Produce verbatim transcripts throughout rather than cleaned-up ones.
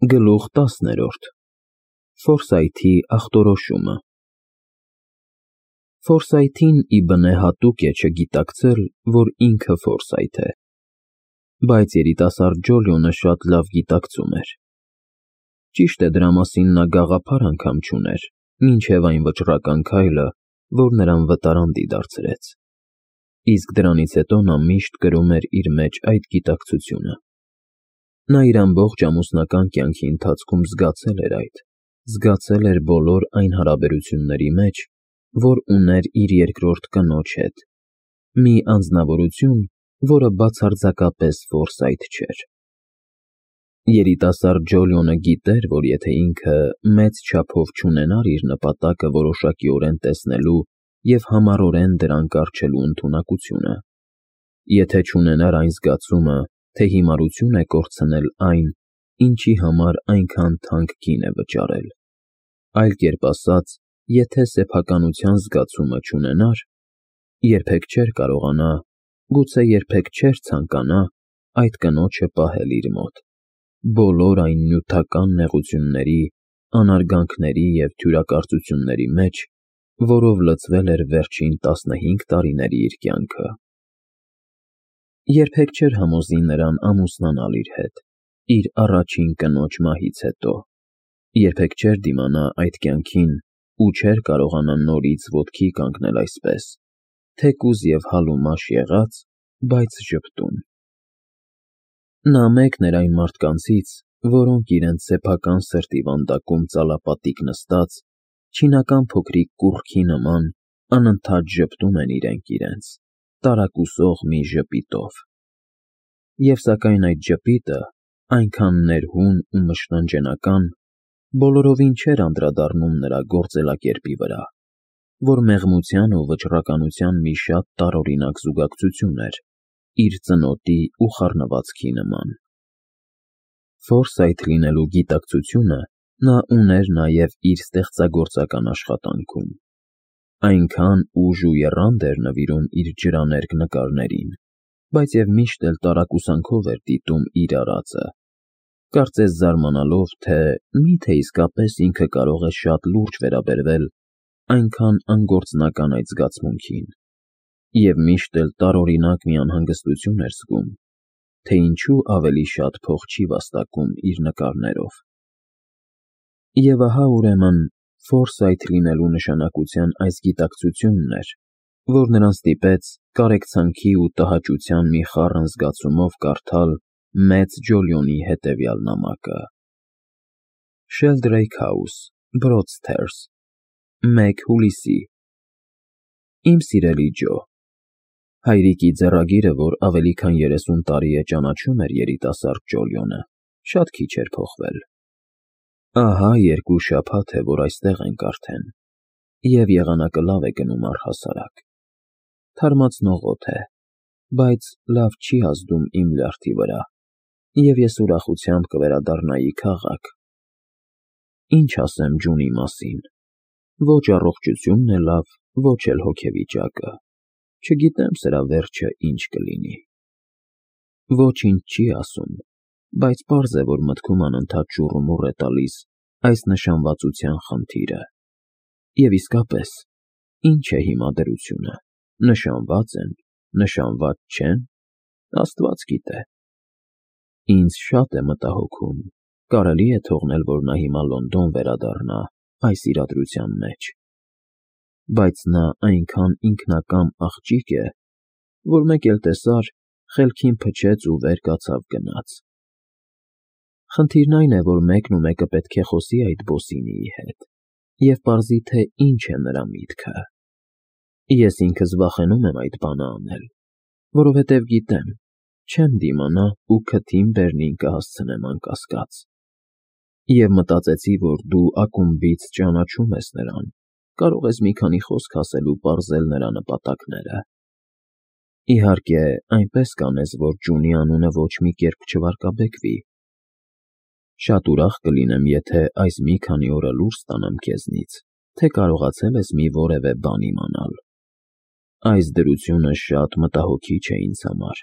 Գլուխ տասներորդ Ֆորսայթի ախտորոշումը Ֆորսայթին ի բնե հատուկ է չգիտակցել, որ ինքը Ֆորսայթ է, բայց երիտասարդ Ջոլիոնը շատ լավ գիտակցում էր։ Ճիշտ է, դրա մասին նա գաղափար անգամ չուներ, մինչև այն վճռական քայլը, որ նրան վտարանդի դարձրեց, իսկ դրանից հետո նա միշտ կրում էր իր մեջ այդ գիտակցությունը։ Նա իր ամբողջ ամուսնական կյանքի ընթացքում զգացել էր այդ, զգացել էր բոլոր այն հարաբերությունների մեջ, որ ուներ իր երկրորդ կնոջ հետ, մի անձնավորություն, որը բացարձակապես Ֆորսայթ չէր։ Երիտասարդ Ջոլիոնը գիտեր, որ եթե ինքը մեծ չափով չունենար իր նպատակը որոշակիորեն տեսնելու և համառորեն դրան կառչելու ընդունակությունը, եթե չունենար այն զգացումը, թե հիմարություն է կորցնել այն, ինչի համար այնքան թանկ գին է վճարել, այլ կերպ ասած, եթե սեփականության զգացումը չունենար, երբեք չէր կարողանա, գուցե երբեք չէր ցանկանա այդ կնոջը պահել իր մոտ, բոլոր այն նյութական նեղությունների, անարգանքների և թյուրակարծությունների մեջ, որով լցվել էր վերջին տասնհինգ տարիների իր կյանքը։ Երբեք չէր համոզի նրան ամուսնանալ իր հետ, իր առաջին կնոջ մահից հետո, երբեք չէր դիմանա այդ կյանքին ու չէր կարողանա նորից ոտքի կանգնել այսպես, թեկուզ և հալումաշ եղած, բայց ժպտուն։ Նա մեկն էր այն մարդկանցից, որոնք իրենց սեփական սրտի վանդակում ծալապատիկ նստած, չինական փոքրիկ կուռքի նման անընդհատ ժպտում են իրենք իրենց, տարակուսող մի ժպիտով։ Եվ սակայն այդ ժպիտը, այնքան ներհուն ու մշտնջենական, բոլորովին չէր անդրադառնում նրա գործելակերպի վրա, որ մեղմության ու վճռականության մի շատ տարօրինակ զուգակցություն էր, իր ծնոտի ու խառնվածքի նման։ Ֆորսայթ լինելու գիտակցությունը նա ուներ նաև իր ստեղծագործական աշխատանքում, այնքան ուժ ու եռանդ էր նվիրում իր ջրաներկ նկարներին, բայց և միշտ էլ տարակուսանքով էր դիտում իր արածը, կարծես զարմանալով, թե մի՞թե իսկապես ինքը կարող է շատ լուրջ վերաբերվել այնքան անգործնական այդ զգացմունքին, և միշտ էլ տարօրինակ մի անհանգստություն էր զգում, թե ինչու ավելի շատ փող չի վաստակում իր նկարներով։ Եվ ահա, ուրեմն, Ֆորսայթ լինելու նշանակության այս գիտակցությունն էր, որ նրան ստիպեց կարեկցանքի ու տհաճության մի խառն զգացումով կարդալ մեծ Ջոլիոնի հետևյալ նամակը. Sheldrake House, Broadstairs, մեկ հուլիսի Իմ սիրելի Ջո, հայրիկի ձեռագիրը, որ ավելի քան երեսուն տարի է ճանաչում էր երիտասարդ Ջոլիոնը, շատ քիչ էր փոխվել։ Ահա երկու շաբաթ է, որ այստեղ ենք արդեն, և եղանակը լավ է գնում առհասարակ։ Թարմացնող օդ է, բայց լավ չի ազդում իմ լյարդի վրա, և ես ուրախությամբ կվերադառնայի քաղաք։ Ինչ ասեմ Ջունի մասին, ոչ առողջությունն է լավ, ոչ էլ հոգեվիճակը, չգիտեմ սրա վերջը ինչ կլինի։ Ոչինչ չի ասում, բայց պարզ է, որ մտքում անընդհատ շուռումուռ է տալիս այս նշանվածության խնդիրը։ Եվ իսկապես, ինչ է հիմա դրությունը, նշանված են, նշանված չեն, Աստված գիտե։ Ինձ շատ է մտահոգում, կարելի է թողնել, որ նա հիմա Լոնդոն վերադառնա այս իրադրության մեջ։ Բայց նա այնքան ինքնակամ աղջիկ է, որ մեկ էլ տեսար, խելքին փչեց ու վեր կացավ գնաց։ Խնդիրն այն է, որ մեկն ու մեկը պետք է խոսի այդ Բոսինիի հետ և պարզի, թե ինչ է նրա միտքը։ Ես ինքս վախենում եմ այդ բանը անել, որովհետև գիտեմ, չեմ դիմանա ու քթին բերնին կհասցնեմ անկասկած։ Եվ մտածեցի, որ դու ակումբից ճանաչում ես նրան, կարող ես մի քանի խոսք ասել ու պարզել նրա նպատակները։ Իհարկե, այնպես կանես, որ Ջունի անունը ոչ մի կերպ չվարկաբեկվի։ Շատ ուրախ կլինեմ, եթե այս մի քանի օրը լուր ստանամ քեզնից, թե կարողացել ես մի որևէ բան իմանալ։ Այս դրությունը շատ մտահոգիչ է ինձ համար,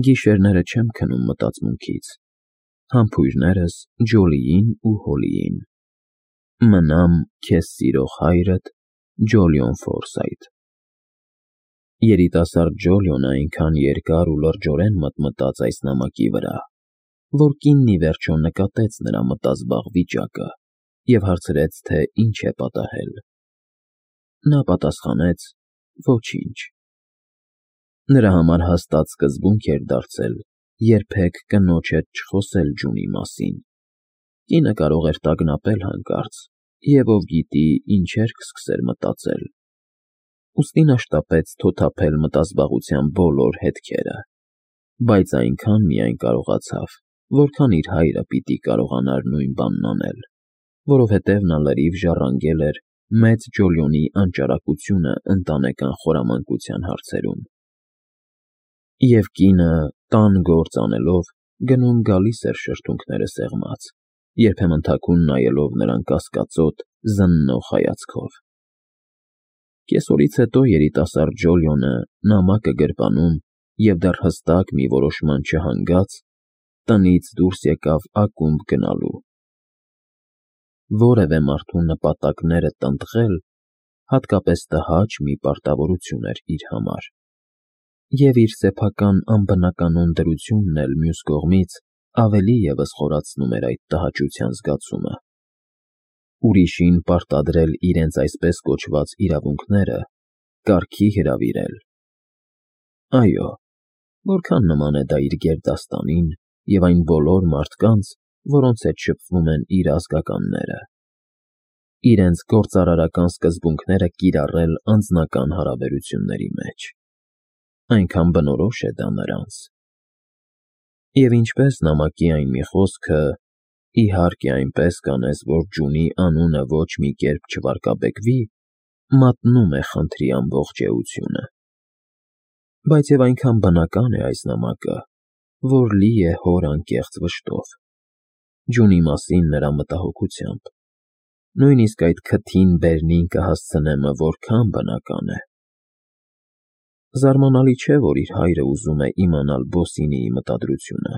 գիշերները չեմ քնում մտածմունքից, Համբույրներս Ջոլիին ու Հոլիին։ Մնամ քեզ սիրող հայրդ Ջոլիոն Ֆորսայթ։ Երիտասարդ Ջոլիոնը այնքան երկար ու լրջորեն մտմտաց այս նամակի վրա, որ կինն ի վերջո նկատեց նրա մտազբաղ վիճակը և հարցրեց, թե ինչ է պատահել։ Նա պատասխանեց. ոչինչ։ Նրա համար հաստատ սկզբունք էր դարձել երբեք կնոջ հետ չխոսել Ջունի մասին։ Կինը կարող էր տագնապել հանկարծ, և ով գիտի ինչեր կսկսեր մտածել։ Ուստի նա շտապեց թոթափել մտազբաղության բոլոր հետքերը, բայց այնքան միայն կարողացավ, որքան իր հայրը պիտի կարողանար նույն բանն անել, որովհետև նա լրիվ ժառանգել էր մեծ Ջոլիոնի անճարակությունը ընտանեկան խորամանկության հարցերում։ Եվ կինը, տան գործ անելով, գնում֊գալիս էր շրթունքները սեղմած, երբեմն թաքուն նայելով նրան կասկածոտ, զննող հայացքով։ Կեսօրից հետո երիտասարդ Ջոլիոնը, նամակը գրպանում և դեռ հստակ մի որոշման չհանգած, տնից դուրս եկավ ակումբ գնալու։ Որևէ մարդու նպատակները տնտղել հատկապես տհաճ մի պարտավորություն էր իր համար, և իր սեփական անբնականոն դրությունն էլ մյուս կողմից ավելի ևս խորացնում էր այդ տհաճության զգացումը։ Ուրիշին պարտադրել իրենց այսպես կոչված իրավունքները, կարգի հրավիրել։ Այո, որքան նման է դա իր գերդաստանին և այն բոլոր մարդկանց, որոնց հետ շփվում են իր ազգականները։ Իրենց գործարարական սկզբունքները կիրառել անձնական հարաբերությունների մեջ։ Այնքան բնորոշ է դա նրանց։ Եվ ինչպես նամակի այն մի խոսքը, իհարկե այնպես կանես, որ Ջունի անունը ոչ մի կերպ չվարկաբեկվի, մատնում է խնդրի ամբողջ էությունը։ Բայց և այնքան բնական է այս նամակը, որ լի է հոր անկեղծ վշտով, Ջունի մասին նրա մտահոգությամբ։ Նույնիսկ այդ քթին բերնին կհասցնեմը որքան բնական է։ Զարմանալի չէ, որ իր հայրը ուզում է իմանալ Բոսինիի մտադրությունը։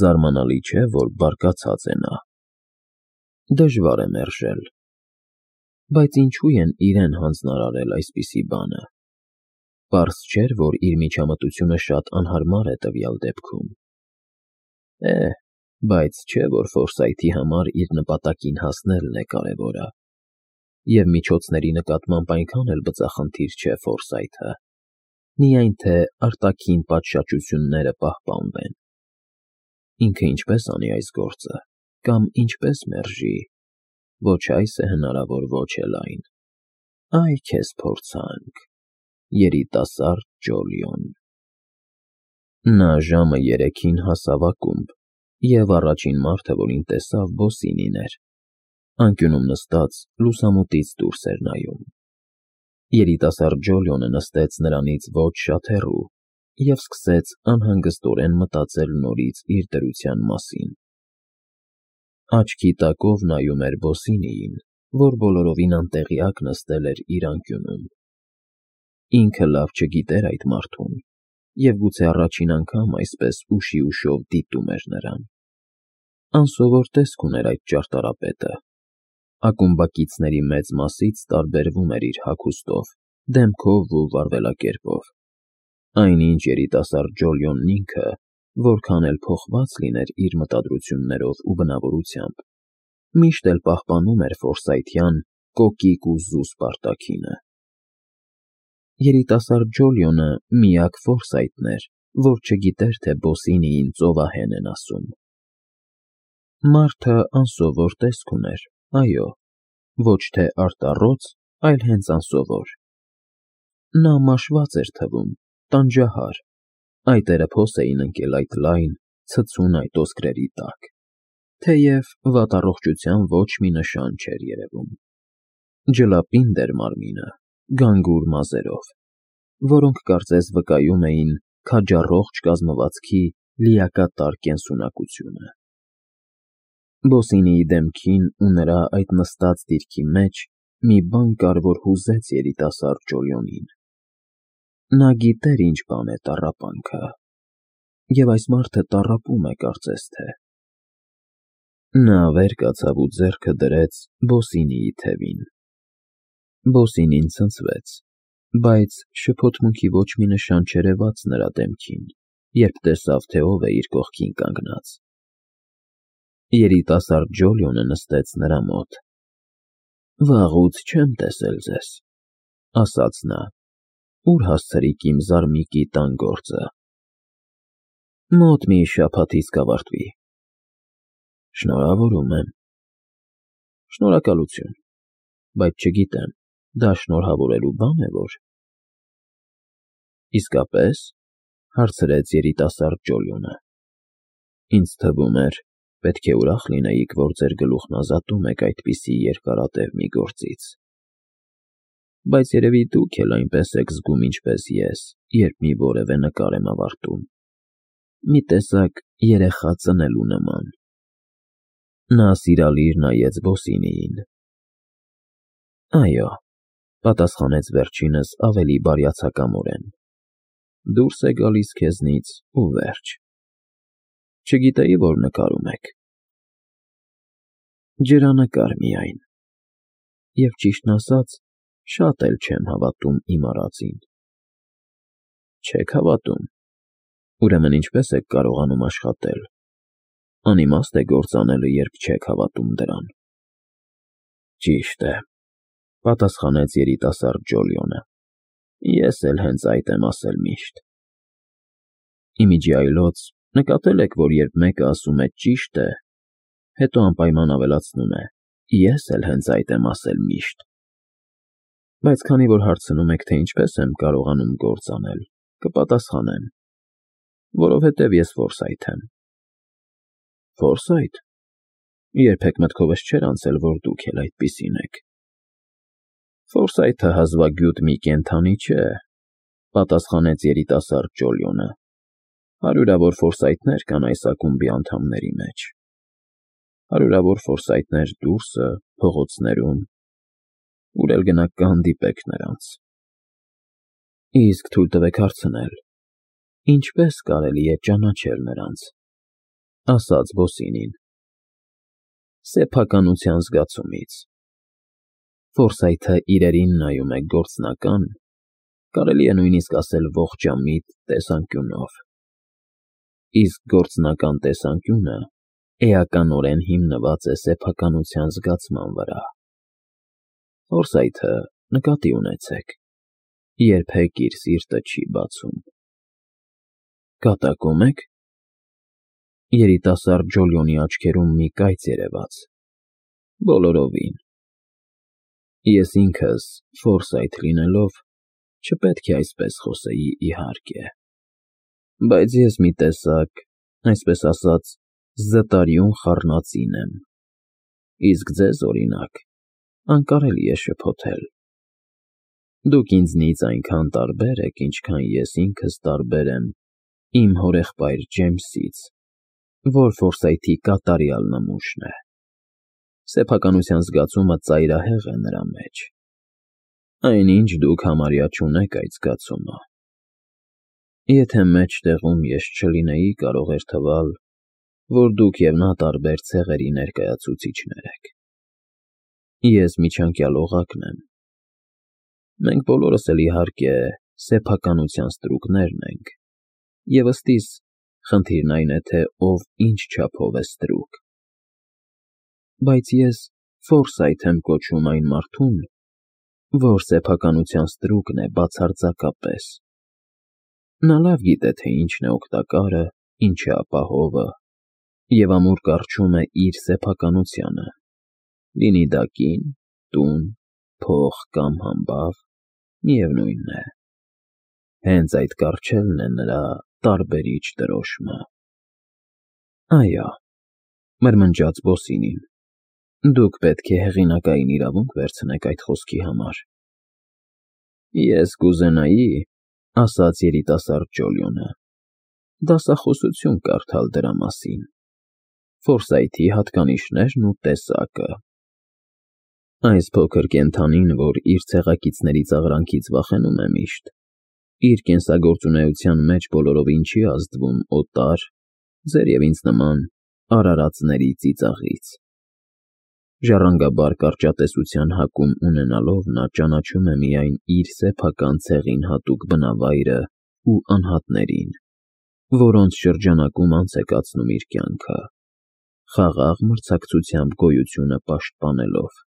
Զարմանալի չէ, որ բարկացած է նա։ Դժվար է մերժել։ Բայց ինչու են իրեն հանձնարարել այսպիսի բանը։ Պարզ չէր, որ իր միջամտությունը շատ անհարմար է տվյալ դեպքում։ Է, բայց չէ, որ Ֆորսայթի համար իր նպատակին հասնելն է կարևորը։ Եվ միջոցների նկատմամբ այնքան էլ բծախնդիր չէ Ֆորսայթը, միայն թե արտաքին պատշաճությունները պահպանվեն։ Ինքը ինչպես անի այս գործը, կամ ինչպես մերժի, ոչ այս է հնարավոր, ոչ էլ այն։ Այ քեզ փորձանք, երիտասարդ Ջոլիոն։ Նա ժամը երեքին հասավ ակումբ, և առաջին մարդը, որին տեսավ, Բոսինին էր։ Անկյունում նստած լուսամուտից դուրս էր նայում։ Երիտասարդ Ջոլիոնը նստեց նրանից ոչ շատ հեռու և սկսեց անհանգստորեն մտածել նորից իր դրության մասին։ Աչքի տակով նայում էր Բոսինիին, որ բոլորովին անտեղյակ նստել էր իր անկյունում։ Ինքը լավ չգիտեր այդ մարդուն, և գուցե առաջին անգամ այսպես ուշի֊ուշով դիտում էր նրան։ Անսովոր տեսք ուներ այդ ճարտարապետը։ Ակումբակիցների մեծ մասից տարբերվում էր իր հագուստով, դեմքով ու վարվելակերպով։ Այնինչ երիտասարդ Ջոլիոնն ինքը, որքան էլ փոխված լիներ իր մտադրություններով ու բնավորությամբ, միշտ էլ պահպանում էր ֆորսայթյան կոկիկ ու զուսպ արտաքինը։ Երիտասարդ Ջոլիոնը միակ Ֆորսայթն էր, որ չգիտեր, թե Բոսինիին ծովահեն են ասում։ Մարդը անսովոր տեսք ուներ, այո, ոչ թե արտառոց, այլ հենց անսովոր։ Նա մաշված էր թվում, տանջահար, այտերը փոս էին ընկել այդ լայն, ցցուն այտոսկրերի տակ, թեև վատառողջության ոչ մի նշան չէր երևում։ Ջլապինդ էր մարմինը, գանգուր մազերով, որոնք կարծես վկայում էին քաջառողջ կազմվածքի լիակատար կենսունակությունը։ Բոսինիի դեմքին ու նրա այդ նստած դիրքի մեջ մի բան կար, որ հուզեց երիտասարդ Ջոլիոնին։ Նա գիտեր ինչ բան է տառապանքը։ և այս մարդը տառապում է, կարծես թե։ Նա վեր կացավ ու ձեռքը դրեց Բոսինիի թևին։ Բոսինին ցնցվեց, բայց շփոթմունքի ոչ մի նշան չերևաց նրա դեմքին, երբ տեսավ, թե ով է իր կողքին կանգնած։ Երիտասարդ Ջոլիոնը նստեց նրա մոտ։ «Վաղուց չեմ տեսել ձեզ», ասաց նա։ «Ուր հասցրիք իմ զարմիկի տան գործը»։ «Մոտ մի շաբաթից կավարտվի»։ «Շնորհավորում եմ»։ «Շնորհակալություն, բայց չգիտեմ, դա շնորհավորելու բան է, որ»։ «Իսկապես», հարցրեց երիտասարդ Ջոլիոնը։ «Ինձ թվում էր, պետք է ուրախ լինեիք, որ ձեր գլուխն ազատում եք այդպիսի երկարատև մի գործից։ Բայց երևի դուք էլ այնպես եք զգում, ինչպես ես, երբ մի որևէ նկար եմ ավարտում, մի տեսակ երեխա ծնելու նման»։ Նա սիրալիր նայեց Բոսինիին։ «Այո», պատասխանեց վերջինս ավելի բարյացակամորեն, «դուրս է գալիս քեզնից ու վերջ։ Չգիտեի, որ նկարում եք»։ «Ջրանկար միայն, և ճիշտն ասած, շատ էլ չեմ հավատում իմ արածին»։ «Չեք հավատում, ուրեմն ինչպե՞ս եք կարողանում աշխատել։ Անիմաստ է գործ անելը, երբ չեք հավատում դրան»։ «Ճիշտ է», պատասխանեց երիտասարդ Ջոլիոնը, «ես էլ հենց այդ եմ ասել միշտ»։ «Ի միջի այլոց նկատել եք, որ երբ մեկը ասում է ճիշտ է, հետո անպայման ավելացնում է, ես էլ հենց այդ եմ ասել միշտ։ Բայց քանի որ հարցնում եք, թե ինչպես եմ կարողանում գործ անել, կպատասխանեմ, որովհետև ես Ֆորսայթ եմ»։ «Ֆորսայթ։ Երբեք մտքովս չէր անցել, որ դուք էլ այդպիսին եք»։ «Ֆորսայթը հազվագյուտ մի կենդանի չէ», պատասխանեց երիտասարդ Ջոլիոնը։ «Հարյուրավոր Ֆորսայթներ կան այս ակումբի անդամների մեջ։ Հարյուրավոր Ֆորսայթներ դուրսը, փողոցներում, ուր էլ գնաք կհանդիպեք նրանց»։ «Իսկ թույլ տվեք հարցնել, ինչպե՞ս կարելի է ճանաչել նրանց», ասաց Բոսինին։ «Սեփականության զգացումից։ Ֆորսայթը իրերին նայում է գործնական, կարելի է նույնիսկ ասել ողջամիտ տեսանկյունով։ Իսկ գործնական տեսանկյունը էականորեն հիմնված է սեփականության զգացման վրա։ Ֆորսայթը, նկատի ունեցեք, երբեք իր սիրտը չի բացում»։ «Կատակում եք»։ Երիտասարդ Ջոլիոնի աչքերում մի կայծ երևաց։ «Բոլորովին։ Ես ինքս, Ֆորսայթ լինելով, չպետք է այսպես խոսեի, իհարկե, բայց ես մի տեսակ, այսպես ասած, զտարյուն խառնածին եմ, իսկ ձեզ, օրինակ, անկարելի է շփոթել։ Դուք ինձնից այնքան տարբեր եք, ինչքան ես ինքս տարբեր եմ իմ հորեղբայր Ջեյմսից, որ Ֆորսայթի կատարյալ նմուշն է։ Սեփականության զգացումը ծայրահեղ է նրա մեջ, այնինչ դուք համարյա չունեք այդ զգացումը։ Եթե մեջտեղում ես չլինեի, կարող էր թվալ, որ դուք և նա տարբեր ցեղերի ներկայացուցիչներ եք։ Ես միջանկյալ օղակն եմ։ Մենք բոլորս էլ, իհարկե, սեփականության ստրուկներն ենք, և ըստիս, խնդիրն այն է, թե ով ինչ չափով է ստրուկ։ Բայց ես Ֆորսայթ եմ կոչում այն մարդուն, որ սեփականության ստրուկն է բացարձակապես։ Նա լավ գիտե, թե ինչն է օգտակարը, ինչը ապահովը, և ամուր կառչում է իր սեփականությանը, լինի դա կին, տուն, փող կամ համբավ, միևնույն է։ Հենց այդ կառչելն է նրա տարբերիչ դրոշմը։ «Այո», մրմնջաց Բոսինին, «դուք պետք է հեղինակային իրավունք վերցնեք այդ խոսքի համար»։ «Ես կուզենայի», ասաց երիտասարդ Ջոլիոնը, «դասախոսություն կարդալ դրա մասին, Ֆորսայթի հատկանիշներն ու տեսակը։ Այս փոքր կենդանին, որ իր ցեղակիցների ծաղրանքից վախենում է միշտ, իր կենսագործունեության մեջ բոլորովին չի ազդվում օտար, ձեր և ինձ նման արարածների ծիծաղից։ Ժառանգաբար կարճատեսության հակում ունենալով նա ճանաչում է միայն իր սեփական ցեղին հատուկ բնավայրը ու անհատներին, որոնց շրջանակում անց է կացնում իր կյանքը, խաղաղ մրցակցությամբ գոյությունը պաշտպանելով։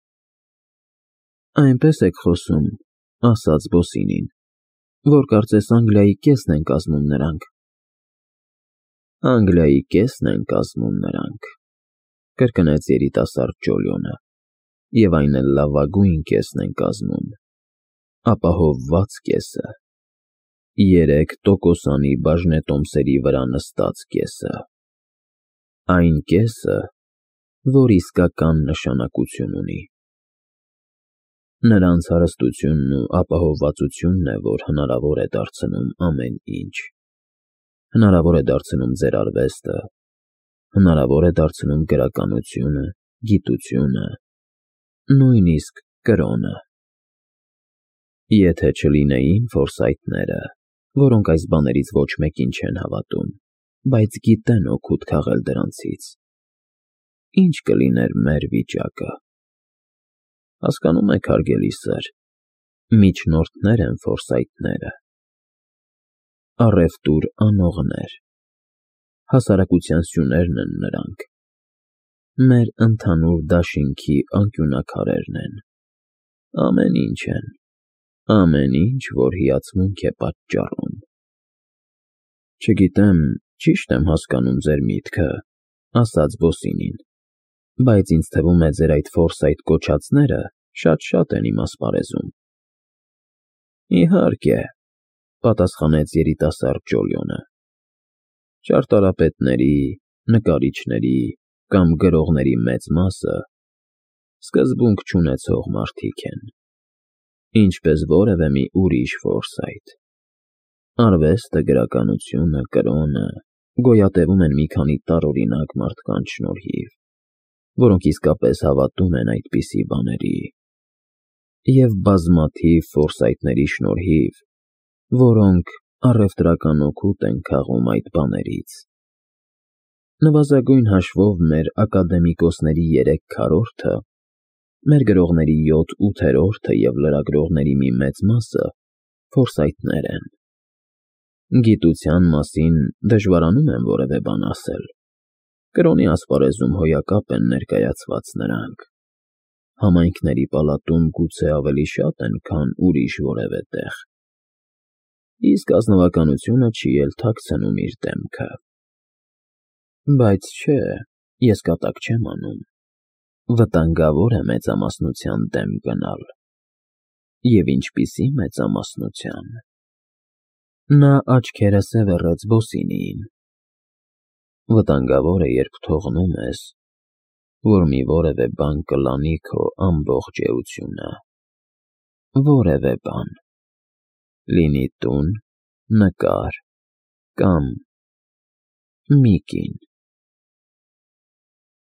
Այնպես եք խոսում, ասաց Բոսինին, որ կարծես Անգլիայի կեսն են կազմում նրանք։ Անգլիայի կեսն են կազմում նրանք, կրկնեց երիտասարդ Ջոլիոնը, և այն էլ լավագույն կեսն են կազմում, ապահովված կեսը, երեք տոկոսանի բաժնետոմսերի վրա նստած կեսը, այն կեսը, որ իսկական նշանակություն ունի։ Նրանց հարստությունն ու ապահովվածությունն է, որ հնարավոր է դարձնում ամեն ինչ, հնարավոր է դարձնում ձեր արվեստը, հնարավոր է դարձնում գրականությունը, գիտությունը, նույնիսկ կրոնը։ Եթե չլինեին Ֆորսայթները, որոնք այս բաներից ոչ մեկին չեն հավատում, բայց գիտեն օգուտ քաղել դրանցից, ինչ կլիներ մեր վիճակը։ Հասկանո՞ւմ եք, հարգելի սըր, միջնորդներ են Ֆորսայթները, առևտուր անողներ, հասարակության սյուներն են նրանք, մեր ընդհանուր դաշինքի անկյունաքարերն են, ամեն ինչ են, ամեն ինչ, որ հիացմունք է պատճառում։ Չգիտեմ, ճի՞շտ եմ հասկանում ձեր միտքը, ասաց Բոսինին, բայց ինձ թվում է ձեր այդ Ֆորսայթ կոչածները շատ-շատ են իմ ասպարեզում։ Իհարկե, պատասխանեց երիտասարդ Ջոլիոնը, ճարտարապետների, նկարիչների կամ գրողների մեծ մասը սկզբունք չունեցող մարդիկ են, ինչպես որևէ մի ուրիշ Ֆորսայթ։ Արվեստը, գրականությունը, կրոնը գոյատևում են մի քանի տարօրինակ մարդկանց շնորհիվ, որոնք իսկապես հավատում են այդպիսի բաների, և բազմաթիվ Ֆորսայթների շնորհիվ, որոնք առևտրական օգուտ են քաղում այդ բաներից։ Նվազագույն հաշվով մեր ակադեմիկոսների երեք քառորդը, մեր գրողների յոթ֊ութերորդը և լրագրողների մի մեծ մասը Ֆորսայթներ են։ Գիտության մասին դժվարանում եմ որևէ բան ասել, կրոնի ասպարեզում հոյակապ են ներկայացված նրանք, համայնքների պալատում գուցե ավելի շատ են, քան ուրիշ որևէ տեղ, իսկ ազնվականությունը չի էլ թաքցնում իր դեմքը։ Բայց չէ, ես կատակ չեմ անում, վտանգավոր է մեծամասնության դեմ գնալ։ Եվ ինչպիսի մեծամասնության։ Նա աչքերը սևեռեց Բոսինիին։ Վտանգավոր է, երբ թողնում ես, որ մի որևէ բան կլանի քո ամբողջ էությունը, որևէ բան, լինի տուն, նկար կամ մի կին։